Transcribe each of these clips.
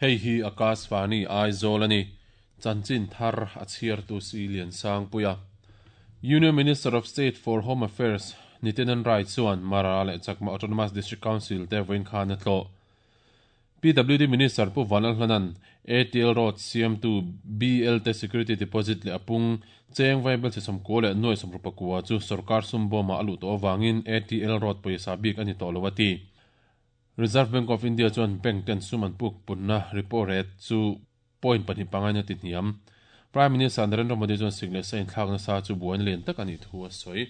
Hei hi Akashvani Aizawl a ni. Chanchin thar a chhiartu Si Liansangpuia. Union Minister of State for Home Affairs Nityanand Rai chuan Mara leh Chakma Autonomous District Council te vawiin khan a tlawh. PWD Minister Pu Vanlalhlana'n ATL Road siamtu BL te security deposit leh a pung cheng vaibel chhe 90 leh nuai 69 chu sorkar sum bawmah a luh tawh avangin ATL Road pawisa bik a ni tawh lo a ti. Reserve Bank of India chuan bank ten sum an puk punna repo rate chu point pahnih pangain a ti hniam. Prime Minister Narendra Modi chuan sik leh sa inthlak nasa chu buaina lian tak a nih thu a sawi.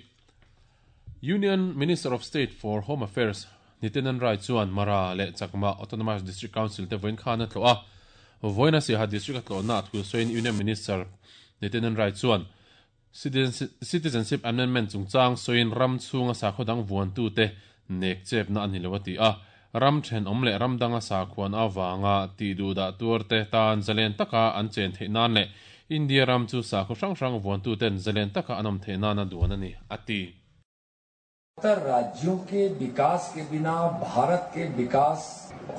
Union Minister of State for Home Affairs Nityanand Rai chuan Mara leh Chakma Autonomous District Council te vawiin khan a tlawh a. Vawiin a Siaha District a tlawhna a thu sawiin Union Minister Nityanand Rai chuan Citizenship Amendment chungchang sawiin ram chhunga sakhaw dang vuantute nek chepna a ni lo a ti a. Ram thenawm leh ram danga sakhuan avanga tih duhdah tuarte tan zalen taka an chen theih nan leh India ram chu sakhaw hrang hrang vuantuten zalen taka an awm theih nana duan a ni, a ti. उत्तर राज्यों के विकास के बिना भारत के विकास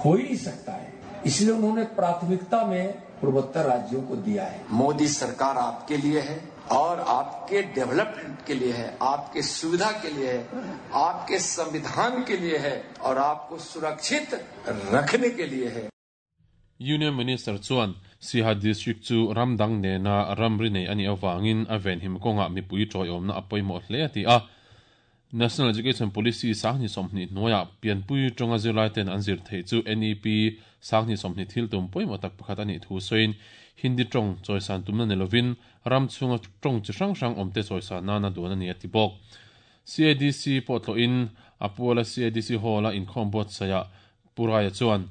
हो ही नहीं सकता है इसलिए उन्होंने प्राथमिकता में पूर्वोत्तर राज्यों को दिया है मोदी सरकार आपके लिए है और आपके डेवलपमेंट के लिए है आपके सुविधा के लिए है आपके संविधान के लिए है और आपको सुरक्षित रखने के लिए है Union Minister chuan Siaha District chu ram dang nena ramri nei a nih avangin a venhim kawngah mipui tawiawmna a pawimawh hle a ti a. National Education Policy 2020 hnuaiah pianpui tawnga zirlai ten an zir theih chu NEP 2020 thil tum pawimawh tak pakhat a nih thu sawiin Hindi tawng chawisan tumna ni lovin ram chhunga tawng chi hrang hrang awmte chawisan nana duan a ni a ti bawk. CADC pawh tlawhin a puala CADC Hall-a inkhawm buatsaihah Pu Raia chuan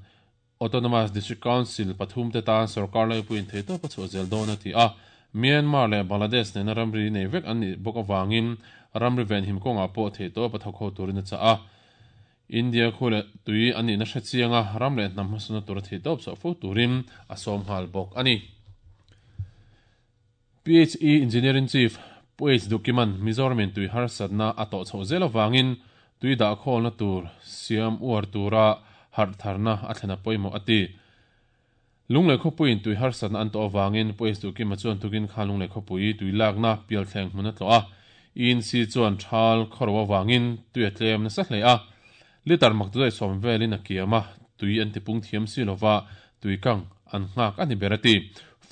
Autonomous District Council pathum te tan sorkar laipuiin theihtawp a chhuah zel dawn a ti a. Myanmar leh Bangladesh nena ramri nei vek an nih bawk avangin ramri venhim kawngah pawh theihtawp a thawk ho turin a chah a. India khu leh tui an nihna hre chianga ram leh hnam hmasawnna tura theihtawp chhuah fo turin a sawm nghal bawk a ni. PHE Engineering Chief Pu H Dukiman Mizoramin tui harsatna a tawh chhoh zel avangin tui dahkhawlna tur siam uar tura harh tharna a thlen a pawimawh a ti. Lunglei khawpuiin tui harsatna an tawh avangin Pu H Duhkima chuan tukin khan Lunglei khawpui tui lakna pialthleng hmun a tlawh a, ENC chuan thal khawro avangin tui a tlem nasa hle a, litre mak dudaih sawm velin a kiam a, tui an tipung thiam si lova tui kang an nghak a ni ber a ti.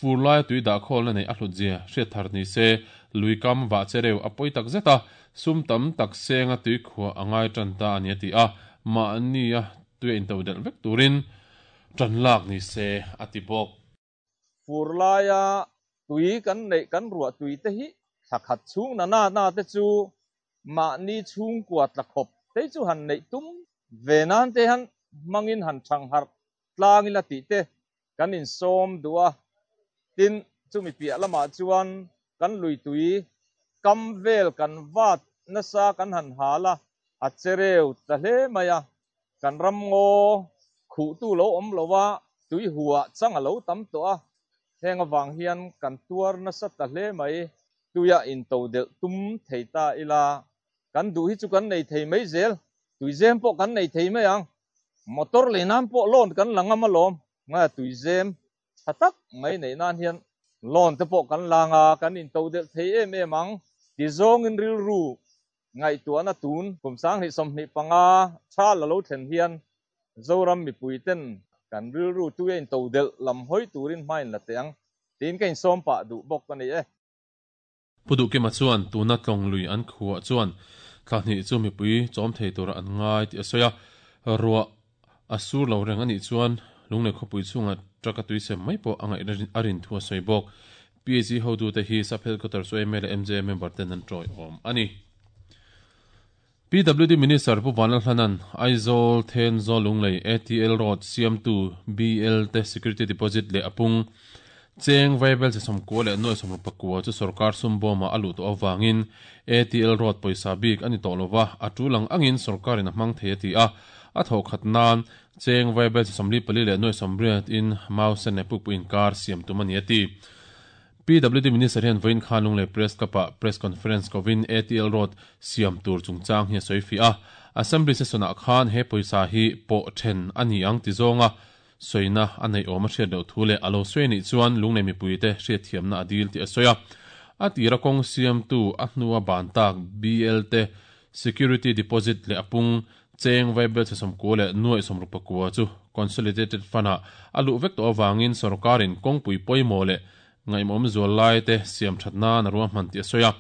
Fur laia tui dahkhawlna neih a hlut zia hriat thar ni se, lui kam vah che reuh a pawi tak zet a, sum tam tak senga tui khuah a ngai tan ta a ni a ti a, mahnia tui a intodelh vek turin Ṭan lak ni se, a ti bawk. Fur laia tui kan neih kan ruah tui te hi thla khat chhung na na na te chu mahni chhungkua tla khawp te chu han neih tum ve nan te han hmangin han thang harh tlang ila tih te kan insawm duh a. Tin, chumi piah lamah chuan kan lui tui kam vel kan vat nasa kan han hal a, a chereu ta hle mai a. Kan ram ngaw khuhtu lo awm lo a, tui huah chang a lo tam tawh a, heng avang hian kan tuar nasa ta hle mai. Tuia into delh tum thei ta ila, kan duh hi chu kan nei thei mai zel, tuizem pawh kan nei thei mai ang. Motor lei nan pawh loan kan la ngam alawm, ngaia tuizem tha tak mai neih nan hian loan te pawh kan la nga, kan into delh thei em em ang. Tizawngin rilru Ngaihtuahna tun kum 2025 tha la lo thlen hian Zoram mipui ten kan rilru tui a intodelh lam hawi turin hma in la teh ang tiin ka insawm pah duh bawk a ni e. Pu Duhkima chuan tuna tlawng lui an khuah chuan thla hnih chu mipui chawm thei tura an ngai tih a sawi a, ruah a sur lo reng a nih chuan Lunglei khawpui chhungah truck a tuisem mai pawh a ngaih a rin thu a sawi bawk. PAC hotute hi Sub Headquarters yma leh MJA member ten an tawiawm a ni. PWD Minister Pu Vanlalhlana'n Aizawl, Thenzawl, Lunglei, ATL Road siamtu BL te security deposit leh a pung cheng vaibel che 90 leh nuai 69 chu sorkar sum bawmah a luh tawh avangin ATL Road pawisa bik a ni tawh lova, a tul ang angin sorkarin a hmang thei a ti a. A thawh khat nan cheng vaibel che 44 leh nuai 80 in Mausen leh Pukpui inkar siam tum a ni a ti. PWD Minister hian vawiin khan Lunglei Press Club-ah Press Conference kovin ATL Road siam tur chungchang hi a sawi fiah a. Assembly session-ah khan he pawisa hi pawh then a ni ang ti zawnga. sawina a neih awm a hriat loh thu leh a lo sawi anih chuan lunglei mipuite hriatthiamna a dil tih a sawi a. A tira kawng siamtu a hnua ban tak BL te security deposit leh a pung cheng vaibel chhe sawmkua leh nuaih sawmruk pakua chu Consolidated Fund-ah a luh vek tawh avangin sawrkarin kawngpui pawimawh leh ngaihmawm zual lai te siam that nan a ruahman tih a sawi a.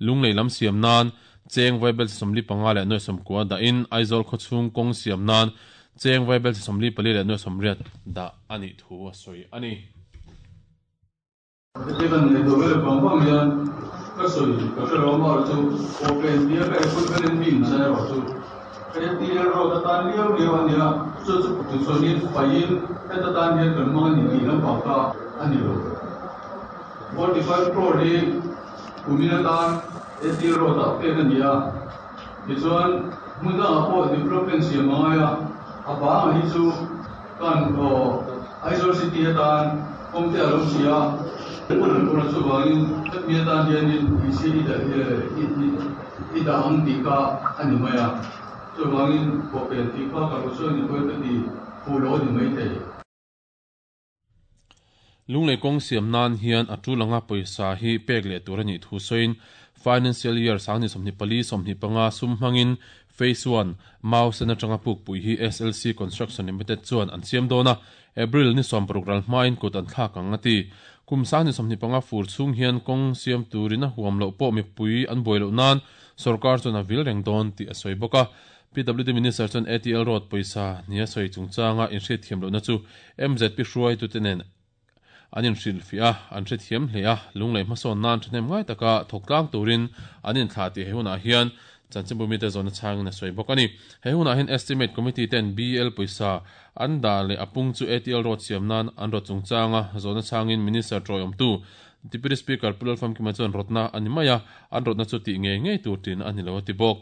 Lunglei lam siam nan cheng vaibel chhe 45 leh nuaih 90 dahin Aizawl khawchhung kawng siam nan cheng vaibel chhe 44 leh nuaih 80 dah a nih thu a sawi a ni. Heti kan nei tawh vel vang vang hian ka sawi ka hre lo amaherawh chu pawhpen tia ka equipment in mi inchai erawh chu ATL road atan liau liau a nia, chu chu tichuanin faiin heta tan hian kan hmang a ni tih lampang kha a ni lo. 45 crore hi kumin atan ATL road ah pek a ni a, tichuan hmun dangah pawh development siam a ngai a, a bangah hi chu Kan Aizawl City atan kawngte a lo si a, hun an pawr a chuvangin hemi atan hianin isi i dah ang tih kha a ni mai a, chuvangin pawhpen tih kha ka lo sawi ni pawhin ka ti fuh lo a ni maithei. Lunglei kawng siam nan hian a tul anga pawisa hi pek leh tur a nih thu sawiin Financial Year 2024 25 sum hmangin Phase One, Mau sen atanga pukpui hi SLC Construction Limited chuan an siam dawn a, April ni 60 ral hmain kut an thlak ang a ti. Kum 2025 fur chhung hian kawng siam turin a huam loh pawh mipui an buai loh nan sawrkar chuan a vil reng dawn tih a sawi bawk a. PWD Minister chuan ATL Road pawisa nia sawi chungchanga inhriatthiam lohna chu MZP hruaitute nen an inhrilhfiah a, an hrethiam hle a, lunglei hmasawn nan thahnem ngai taka thawk tlang turin an inthlah tih he hunah hian chanchinbu mite zawhna chhangin a sawi bawk a ni. He hunah hian Estimate Committee ten BL pawisa an dah leh a pung chu ATL Road siam nan an rawt chungchanga zawhna chhangin Minister tawiawmtu Deputy Speaker Pu Lalfamkima chuan rawtna a ni mai a, an rawtna chu tih ngei ngei tur tin a ni lo a ti bawk.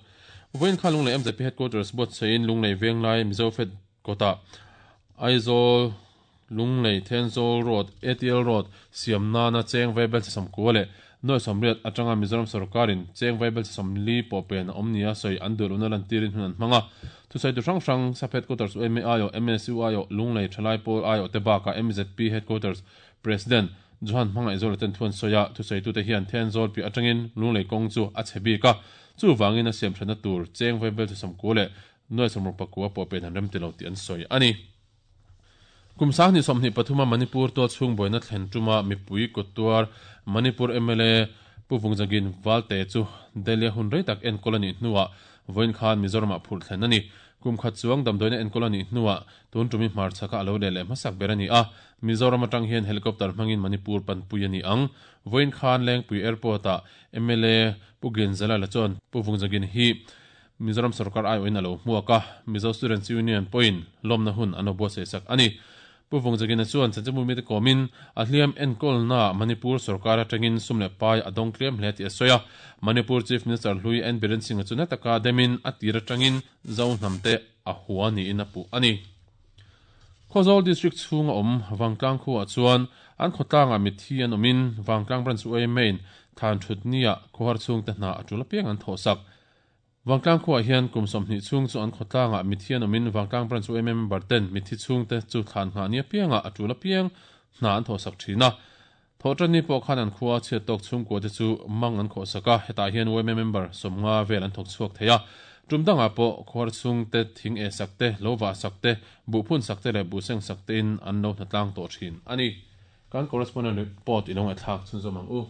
Vawiin kha Lunglei MZP Headquarters buatsahin Lunglei Venglai Mizo Fed kawtah Aizawl Lunglei Thenzawl Road, ATL Road, siam nana cheng vaibel chhe 90 leh 80 atanga Mizoram sawrkarin cheng vaibel chhe 40 pawh pen a awm nia sawi an duh lohna lantirin hun an hmang a. Thusawitu hrang hrang sap Headquarters UMA aiawh, MSU aiawh, Lunglei Thalai Pawl aiawh te bakah MZP Headquarters President Johan Hmangaihzawla ten thu an sawi a, thusaitute hian Thenzawl piah atangin Lunglei kawng chu a chhe bik a, chuvangin a siam thatna tur cheng vaibel chu 90 leh 65 pawh pen an rem ti lo tih an sawi a ni. Kum 2023 a Manipur tualchhung buaina thlen tuma mipui kut tuar Manipur mla Pu Vungjagin Valte chu Delhi a hun rei tak enkawl a nih hnuah vawiin khan Mizoramah phurh thlen a ni. Kum khat chuang damdawiina enkawl a nih hnuah tun tumi hmarchhaka a lo leh leh hmasak ber a ni a, Mizoram atang hian helicopter hmangin Manipur panpui a ni ang. Vawiin khan Lengpui Airport-ah mla Pu Ginzalala chuan Pu Vungjagin hi Mizoram sorkar aiawhin a lo hmuak a, Mizo Students Union pawhin lawmna hun an lo buatsaih sak a ni. Pu Vungjagina chuan chanchinbu mite kawmin a hliam enkawlnaah Manipur sorkar atangin sum leh pai a dawng tlem hle tih a sawi a. Manipur Chief Minister hlui N Biren Singh-a chu na taka demin a tir atangin Zo hnamte a hua niin a puh a ni. Khawzawl District chhunga awm Vangtlang khuaah chuan an khawtlangah mitthi an awmin Vangtlang Branch UAMA-in thlan thut nia khawhar chhungte hna a tul apiang an thawhsak. Vangtlang khuaah hian kum 20 chhung chu an khawtlangah mitthi an awmin Vangtlang Branch UAMA member ten mitthi chhungte chu thlan nghah ni apiangah a tul apiang hna an thawhsak thin a. Thawhtanni pawh khan an khua chhiat tawk chhungkua te chu mang an khawhsak a, hetah hian yma member 50 vel an thawk chhuak thei a. Tum dangah pawh khuar chhungte thing eh sak te, lo vah sak te, buh phun sak te leh buh seng sak tein an lo hnatlang tawh thin a ni. Kan correspondent report i lo ngaihthlak chhunzawm ang u.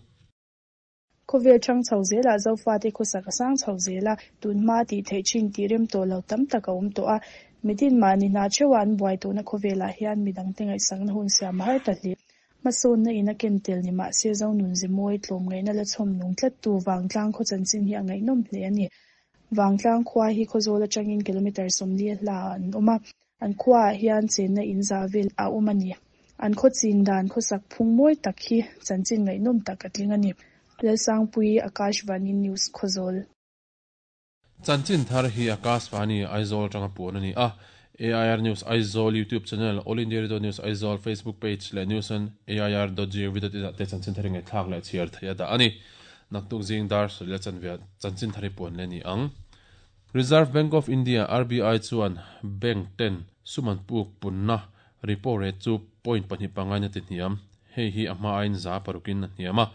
Khawvel ṭhang chho zelah Zofate khawsak a sang chho zel a, tunhma tih theih ṭhin tih rem tawh lo tam tak a awm tawh a. Mitin mahni hna ṭheuha an buai tawhna khawvelah hian midangte ngaihsakna hun siam a har ta hle. Hmasawnna in a ken tel ni mah se Zonun Zemawi tlawmngaihna la chhawm nung tlattu Vangtlang khaw chanchin hi a ngaihnawm hle a ni. Vangtlang khua hi Khawzawl atangin kilometre 40 a hla ah an awm a, an khuaah hian chenna in za vel a awm a ni. An khaw chin dan khawsak phung mawi tak hi chanchin ngaihnawm tak a tling a ni. Lalsangpuii, Akashvani News, Khawzawl. Chanchin thar hi Akashvani Aizawl atanga puan a ni a, AIR News Aizawl YouTube channel, All India Radio News Aizawl Facebook page leh news on air dot gov dot in ah te chanchin thar hi ngaihthlak leh chhiar theih a dah a ni. Naktuk zing dar sawi leh chanve ah chanchin thar hi puan leh a ni ang. Reserve Bank of India, RBI, chuan bank ten sum an puk punna. Repo rate chu point pahnih pangai in a ti hniam. Hei hi a hma aiin za parukin a hniam a,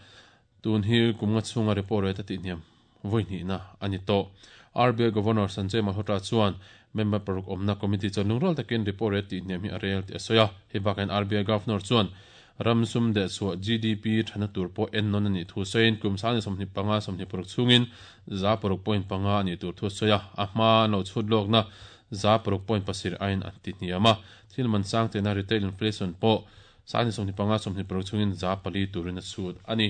tun hi kum nga chhunga repo rate a tih hniam vawi hnihna a ni tawh. RBI Governor Sanjay Malhotra chuan member paruk awmna committee chuan lungrual takin repo rate tih hniam hi a rel tih a sawi a. Hei bakah hian RBI Governor chuan ram sum deh chhuah GDP thana tur pawh en nawn a nih thu sawiin kum 2025 26 chhungin 6.5 a nih tur thu a sawi a, a hma an lo chhut lawkna 6.7 aiin a ti hniam a. Thil man sang tena retail inflation pawh 2025 26 chhungin 4% turin a chhut a ni.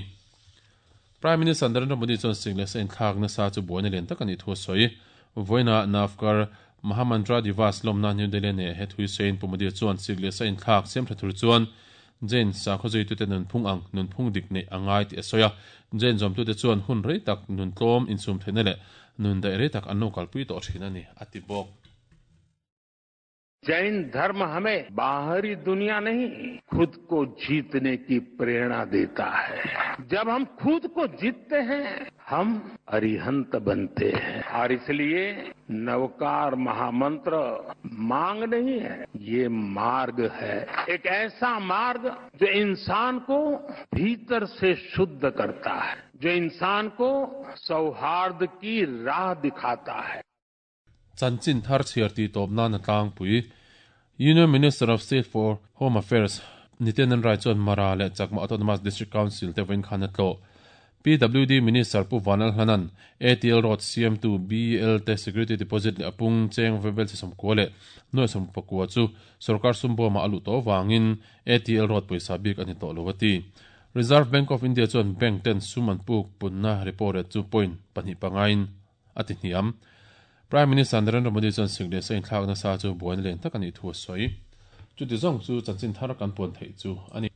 Prime Minister Narendra Modi chuan sik leh sa inthlak nasa chu buaina lian tak a nih thu a sawi. Vawiinah Navkar Mahamantra Divas lawmna New Delhi nei a he thui sawiin Pu Modi chuan sik leh sa inthlak siam tha tur chuan Jain sakhaw zuitute nunphung ang nunphung dik neih a ngai tih a sawi a. Jain zawmtute chuan hun rei tak nun tlawm insum theihna leh nun daih rei tak an lo kalpui tawh thin a ni, a ti bawk. Jain धर्म हमें बाहरी दुनिया नहीं खुद को जीतने की प्रेरणा देता है जब हम खुद को जीतते हैं हम अरिहंत बनते हैं और इसलिए नवकार महामंत्र मांग नहीं है ये मार्ग है एक ऐसा मार्ग जो इंसान को भीतर से शुद्ध करता है जो इंसान को सौहार्द की राह दिखाता है Chanchin thar chhiar tih tawp nan a tlangpui. Union Minister of State for Home Affairs Nityanand Rai chuan Mara leh Chakma Autonomous District Council te vawiin khan a tlawh. PWD Minister Pu Vanlal Hlanan ATL Road siamtu BL te security deposit leh a pung cheng vaibel chi sawmkua leh nuai sawmpakua chu sorkar sum bawmah a luh tawh avangin ATL Road pawisa bik a ni tawh lo a ti. Reserve Bank of India chuan bank ten sum an puk punna repo rate chu point pahnih pangain a ti hniam. Prime Minister Narendra Modi chuan sik leh sa inthlak nasa chu buaina lian tak a nih thu a sawi. Chuti zawng chu chanchin thar kan puan theih chu a ni.